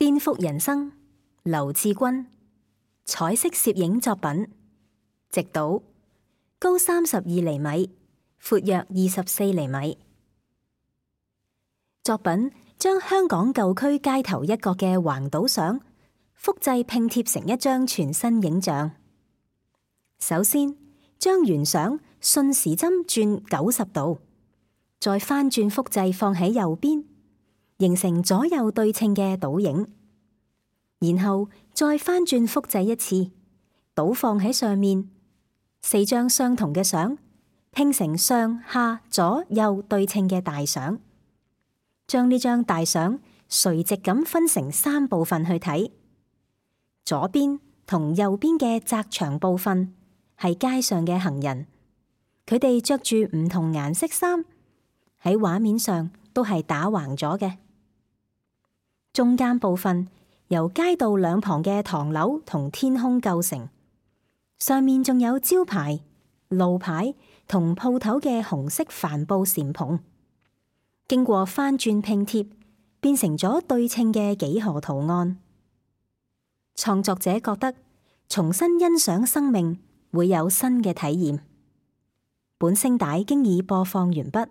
顛覆人生，劉志軍。彩色攝影作品，直島，高32厘米，闊約24厘米。作品將香港舊區街頭一角嘅橫島相複製拼貼成一張全新影像。首先，將原相順時針轉90度，再翻轉複製放喺右邊，形成左右對稱嘅倒影。然後再翻轉複製一次，倒放喺上面，4張相同嘅相拼成上下左右對稱嘅大相。將呢張大相垂直咁分成3部分去睇，左邊同右邊嘅窄長部分係街上嘅行人，佢哋着住唔同顏色衫，喺畫面上都係打橫咗嘅。中間部分由街道兩旁嘅唐樓同天空構成，上面仲有招牌、路牌同鋪頭嘅紅色帆布禪篷，經過翻轉拼貼，變成咗對稱嘅幾何圖案。創作者覺得重新欣賞生命會有新嘅體驗。本聲帶經已播放完畢。